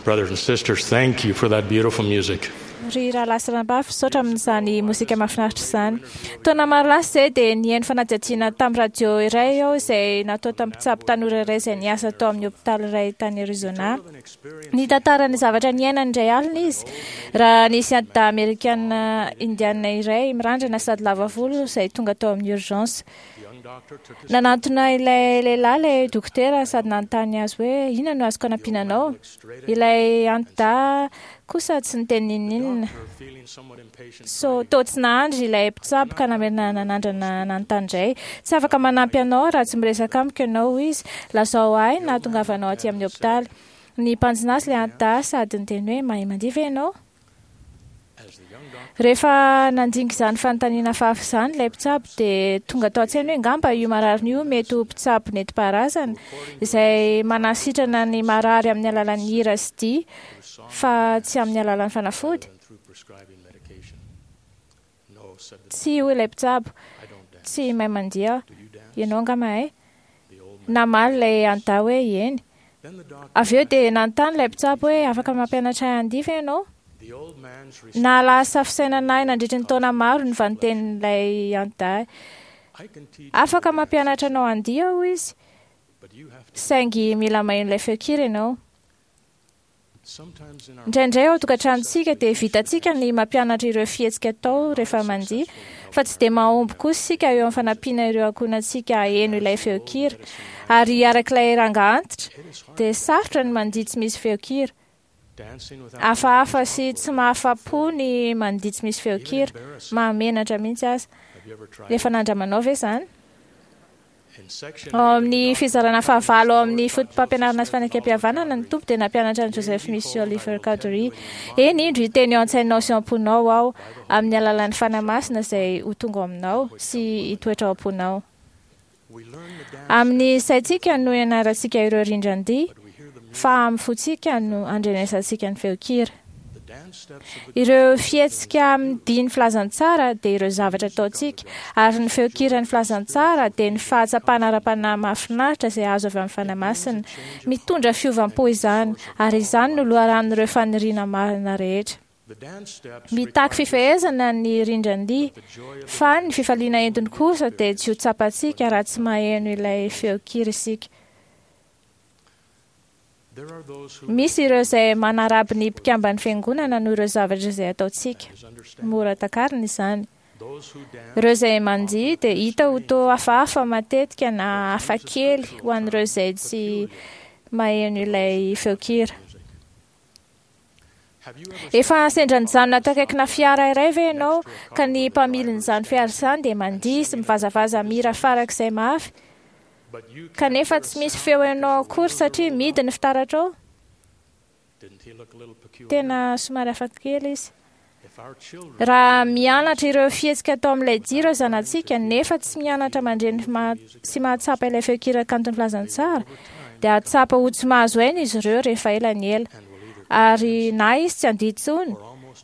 Brothers and sisters, thank you for that beautiful music. Ry rahalahy sy ranabavy, misaotra amin'izany mozika mahafinaritra izany. Taona maro lasa izay dia nihaino fanadihadiana tamin'ny radio iray aho izay natao tamin'ny mpitsabo tanora iray izay niasa tao amin'ny hopitaly iray tany Arizona. Nitantara ny zavatra niainany indray alina izy raha nisy antidahy amerikana indiana iray mirandrana sady lava volo izay tonga tao amin'ny urgence. Nanantona ilay lehilahy ilay dokotera sady nanontany azy hoe inona no azoko anampiana anao. Ilay antidahy kosa tsy niteny n'inon'inona. So, toa tsy nahandry ilay mpitsabo ka namerina nanandrana nanontany indray. Tsy afaka manampy anao raha tsy miresaka amiko ianao, hoy izy. Lazao ahy ny nahatongavanao aty amin'ny hopitaly. Nibanjina azy ilay antidahy sady niteny hoe mahay mandihy ve ianao? Rehefa nandinga izany fanontaniana hafahafa izany ilay mpitsabo dia tonga tao an-tsainy hoe angamba io marariny io mety ho mpitsabo nentim-paharazana izay manasitrana ny marary amin'ny alalan'ny hira sy dihy fa tsy amin'ny alalan'ny fanafody. Tsia, hoy ilay mpitsabo, tsy mahay mandihy aho. Ianao angaha mahay? Namaly ilay antidahy hoe eny. Avy eo dia nanontany ilay mpitsabo hoe afaka mampianatra ahy handihy ve ianao? Nahalasa fisainana ahy nandritry ny taona maro ny vanintenin'ilay antidahy. Afaka mampianatra anao handihy aho, hoy izy, saingy mila maheno ilay feon-kira ianao. Indraindray ao an-tokantranontsika dia vitantsika ny mampianatra ireo fihetsika atao rehefa mandihy, fa tsy dia mahomby kosa isika eo amin'ny fanampiana ireo ankohonantsika haheno ilay feon-kira. Ary arak'ilay rangahy antitra, dia sarotra ny mandihy tsy misy feon-kira. Hafahafa sy tsy mahafa-po ny mandihy tsy misy feon-kira, mahamenatra mihitsy aza. Efa nandramanao ve izany? Ao amin'ny fizarana fahavalo ao amin'ny Fotopampianarana sy Fanekempihavanana, ny Tompo dia nampianatra an'i Joseph Smith sy Oliver Cowdery, Eny, indro hiteny eo an-tsainao sy ao am-ponao Aho, amin'ny alalan'ny Fanahy Masina izay ho tonga ao aminao sy hitoetra ao am-ponao. Amin'ny saintsika no ianarantsika ireo rindran-dihy, fa amin'ny fontsika no andrenesantsika ny feon-kira. Ireo fihetsika amin'ny dihin'ny filazantsara dia ireo zavatra ataontsika, ary ny feon-kiran'ny filazantsara dia ny fahatsapana ara-panahy mahafinaritra izay azo avy amin'ny Fanahy Masina. Mitondra fiovam-po izany, ary izany no loharanon'ireo faniriana marina rehetra. Mitaky fifehezana ny rindran-dihy, fa ny fifaliana entiny kosa dia tsy ho tsapantsika raha tsy maheno ilay feon-kira isika. Misy ireo izay manaraby ny mpikamban'ny Fiangonana noho ireo zavatra izay ataontsika. Mora takarina izany. Ireo izay mandihy dia hita ho toa hafahafa matetika na hafakely ho an'ireo izay tsy maheno ilay feon-kira. Efa sendra nijanona teo akaikina fiara iray ve ianao ka ny mpamilin'izany fiara izany dia mandihy sy mivazavaza mihira farak'izay mafy kanefa tsy misy feo henonao akory satria mihidy ny fitaratrao? Tena somary hafakely izy. Raha mianatra ireo fihetsika atao amin'ilay dihy ireo zanatsika nefa tsy mianatra mandre ny sy mahatsapa ilay feon-kira kanton'ny filazantsara, dia hahatsapa ho tsy mahazo aina izy ireo rehefa ela ny ela. Ary na izy tsy handihy intsony,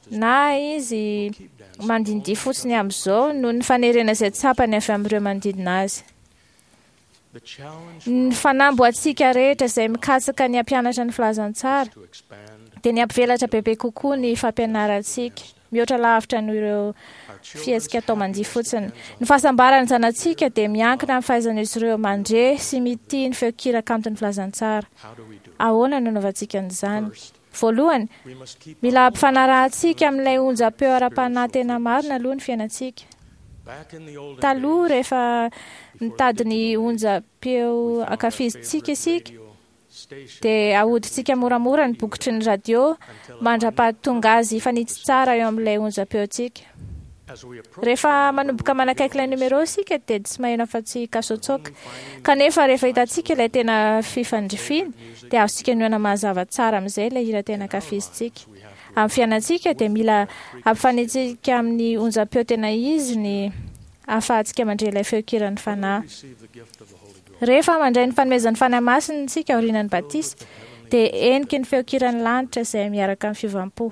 na izy mandindihy fotsiny amin'izao noho ny fanerena izay tsapany avy amin'ireo manodidina azy. Ny fanamby ho antsika rehetra izay mikatsaka ny hampianatra ny filazantsara dia ny hampivelatra bebe kokoa ny fampianarantsika, mihoatra lavitra noho ireo fihetsika atao mandihy fotsiny. Ny fahasambaran'ny zanatsika dia miankina amin'ny fahaizan'izy ireo mandre sy mitia ny feon-kira kanton'ny filazantsara. Ahoana no anaovantsika an'izany? Voalohany, mila ampifanarahantsika amin'ilay onjam-peo ara-panahy tena marina aloha ny fiainantsika. Taloha, rehefa mitady ny onjam-peo ankafizintsika isika, dia ahodintsika moramora ny bokotry ny radio mandra-pahatonga azy hifanitsy tsara eo amin'ilay onjam-peontsika. Rehefa manomboka manakaiky ilay numéro isika dia tsy maheno afa-tsy kasotsoka. Kanefa rehefa hitantsika ilay tena fifandrifiany dia azontsika inoana mazava tsara amin'izay ilay hira tena ankafizintsika. Amin'ny fiainantsika dia mila ampifanitsika amin'ny onjam-peo tena izy ny ahafahantsika mandre ilay feon-kiran'ny Fanahy. Rehefa mandray ny fanomezan'ny Fanahy Masina isika aorianan'ny batisa dia heniky ny feon-kiran'ny lanitra izay miaraka amin'ny fiovam-po.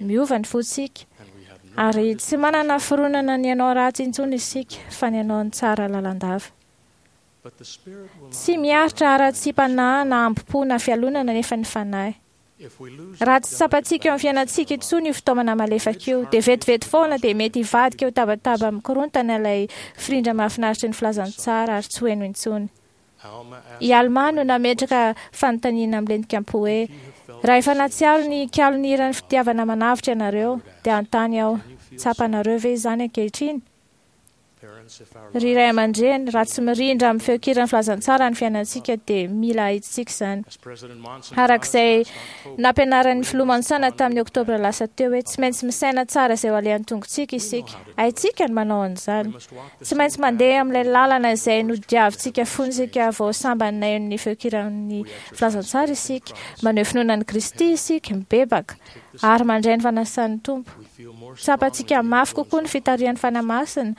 Miova ny fontsika, ary tsy manana fironana ny hanao ratsy intsony isika, fa ny hanao ny tsara lalandava. Tsy miaritra haratsiam-panahy na hambom-po na fialonana anefa ny Fanahy. Raha tsy tsapantsika eo amin'ny fiainantsika intsony io fitaomana malefaka io, dia vetivety foana dia mety hivadika ho tabataba mikorontana ilay firindra mahafinaritra ny filazantsara ary tsy ho heno intsony. I Alma no nametraka fanontaniana milentika am-po hoe, Raha efa nahatsiaro ny kalon'ny hiran'ny fitiavana manavotra ianareo, dia hanontany aho, tsapanareo ve izany ankehitriny? Ry ray aman-dreny, raha tsy mirindra amin'ny feon-kiran'ny filazantsara ny fiainantsika dia mila ahitsitsika izany. Araka izay nampianaran'ny filoha Monson tamin'ny Oktobra lasa teo hoe tsy maintsy misaina tsara izay ho alehan'ny tongotsika isika. Haintsika ny manao an'izany. Tsy maintsy mandeha amin'ilay lalana izay nodiavintsika fony isika vao sambany naheno ny feon-kiran'ny filazantsara isika. Maneho finoana an'i Kristy isika, mibebaka, ary mandray ny fanasan'ny Tompo. Tsapantsika mafy kokoa ny fitarihan'ny Fanahy Masina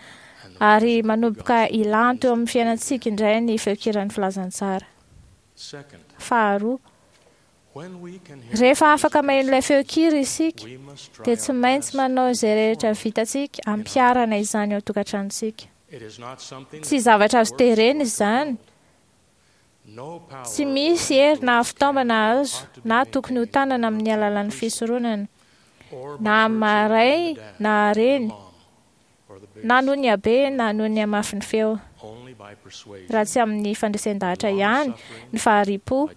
ary manomboka hilanto eo amin'ny fiainantsika indray ny feon-kiran'ny filazantsara. Faharoa, rehefa afaka maheno ilay feon-kira isika, dia tsy maintsy manao izay rehetra vitantsika hampiharana izany ao an-tokantranontsika. Tsy zavatra azo terena izany. Tsy misy hery na fitaovana azo na tokony ho tanana amin'ny alalan'ny fisoronana, na amin'ny maha-ray na reny, na noho ny habe na noho ny hamafin'ny feo, raha tsy amin'ny fandresen-dahatra ihany, ny fahari-po,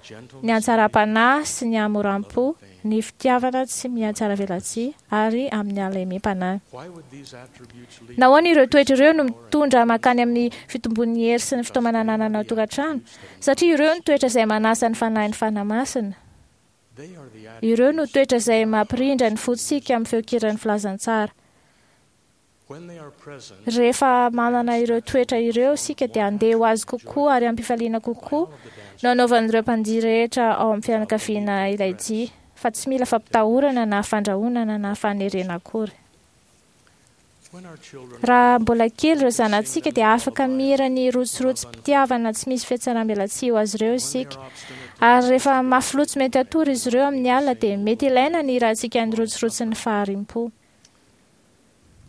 ny hatsaram-panahy sy ny hamoram-po, ny fitiavana tsy mihatsaravelatsihy ary amin'ny halemem-panahy. Nahoana ireo toetra ireo no mitondra mankany amin'ny fitombon'ny hery sy ny fitaomana ananana ao an-tokantrano? Satria ireo no toetra izay manasa ny fanahin'ny Fanahy Masina. Ireo no toetra izay mampirindra ny fontsika amin'ny feon-kiran'ny filazantsara. Rehefa manana ireo toetra ireo isika dia handeha ho azy kokoa ary am-pifaliana kokoa no hanaovan'ireo mpandihy rehetra ao amin'ny fianakaviana ilay dihy, fa tsy mila fampitahorana na fandrahonana na fanerena akory. Raha mbola kely ireo zanatsika dia afaka mihira ny rotsirotsy-pitiavana tsy misy fihatsaram-belatsihy ho azy ireo isika. Ary rehefa mafy loha tsy mety hatory izy ireo amin'ny alina dia mety ilaina ny hirantsika ny rotsirotsin'ny fahariam-po.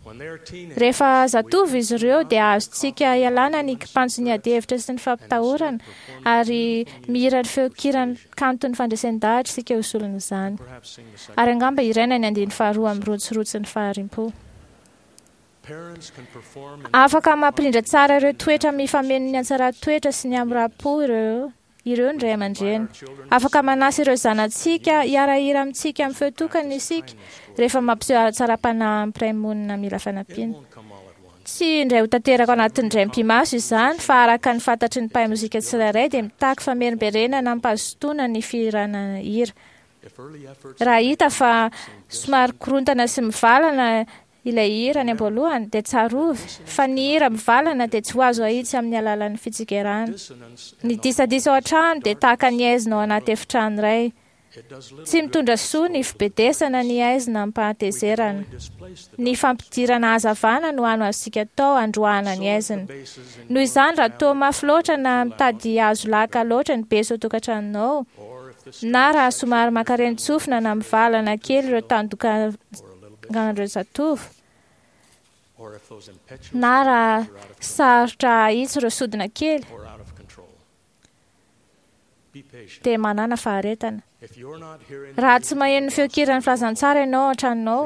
Rehefa zatovo izy ireo dia azontsika ialana ny kipantson'ny adihevitra sy ny fampitahorana ary mihira ny feon-kiran'ny kanton'ny fandresen-dahatra isika ho solon'izany. Ary angamba hiraina ny andininy faharoa amin'ny rotsirotsin'ny fahariam-po. Afaka mampirindra tsara ireo toetra mifameno ny hatsaran-toetra sy ny hamoram-po ireo ireo ny ray aman-dreny. Afaka manasa ireo zanatsika hiara-hira amintsika amin'ny feo tokana isika rehefa mampiseho hatsaram-panahy amin'ny mpiray monina mila fanampiana. Tsy indray ho tanteraka ao anatin'ny indray mipi-maso izany, fa araka ny fantatry ny mpahay mozika tsirairay dia mitaky famerimberenana amim-pahazotoana ny fihirana hira. Raha hita fa somary korontana sy mivalana ilay hira any am-boalohany, dia tsarovy fa ny hira mivalana dia tsy ho azo ahitsy amin'ny alalan'ny fitsikerana. Ny disadisa ao an-trano dia tahaka ny haizina ao anaty efitrano iray. Tsy mitondra soa ny fibedesana ny haizina amim-pahatezerana. Ny fampidirana hazavana no hany azontsika atao handroahana ny haizina. Noho izany, raha toa mafy loatra na mitady hazo laka loatra ny beso ao an-tokantranonao, na raha somary mankarenin-tsofina na mivalana kely ireo tandoka an'ireo zatovo, na raha sarotra ahitsy ireo sodina kely, dia manàna faharetana. Raha tsy maheno ny feon-kiran'ny filazantsara ianao ao an-tranonao,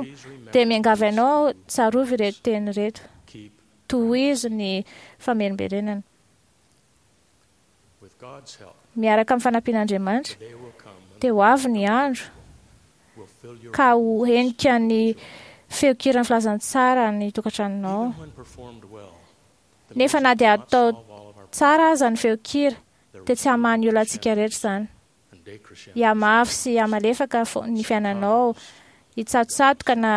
dia miangavy anao aho tsarovy ireto teny ireto. Tohizo ny famerimberenana. Miaraka amin'ny fanampian'Andriamanitra, dia ho avy ny andro ka ho henika ny feon-kiran'ny filazantsara ny tokantranonao. Nefa na dia atao tsara aza ny feon-kira, dia tsy hamaha ny olantsika rehetra izany. Hihamafy sy hihamalefaka ny fiainanao, hitsatotsatoka na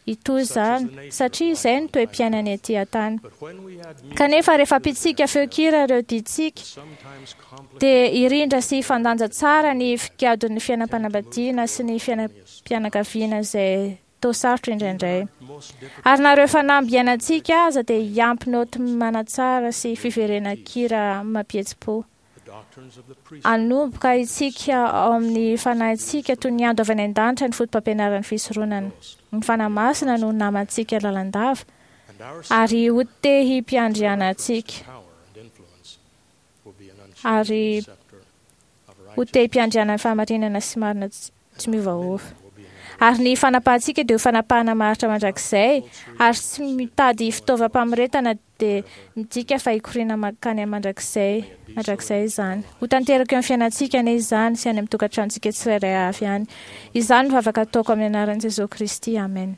hitohy izany, satria izay no toe-piainana ety an-tany. Kanefa rehefa ampitsika feon-kira ireo diantsika, dia hirindra sy hifandanja tsara ny figadon'ny fiainam-panambadiana sy ny fiainam-pianakaviana izay toa sarotra indraindray. Ary na ireo fanamby iainantsika aza dia hiampy naoty manatsara sy fiverenan-kira mampihetsi-po. Hanomboka hitsika ao amin'ny fanahintsika toy ny ando avy any an-danitra ny fotopampianaran'ny fisoronana. Ny Fanahy Masina no namantsika lalandava ary ho tehim-piandriana antsika. Ary ho tehim-piandrianan'ny fahamarinana sy marina. Tsy miovaova. Ary ny fanapahantsika dia ho fanapahana maharitra mandrakizay, ary tsy mitady fitaovam-pamoretana dia midika fa hikoriana mankany amin'ny mandrakizay, mandrakizay izany. Ho tanteraka eo amin'ny fiainantsika anie izany sy any amin'ny tokantranontsika tsirairay avy any. Izany no vavaka ataoko amin'ny anaran'i Jesoa Kristy. Amen.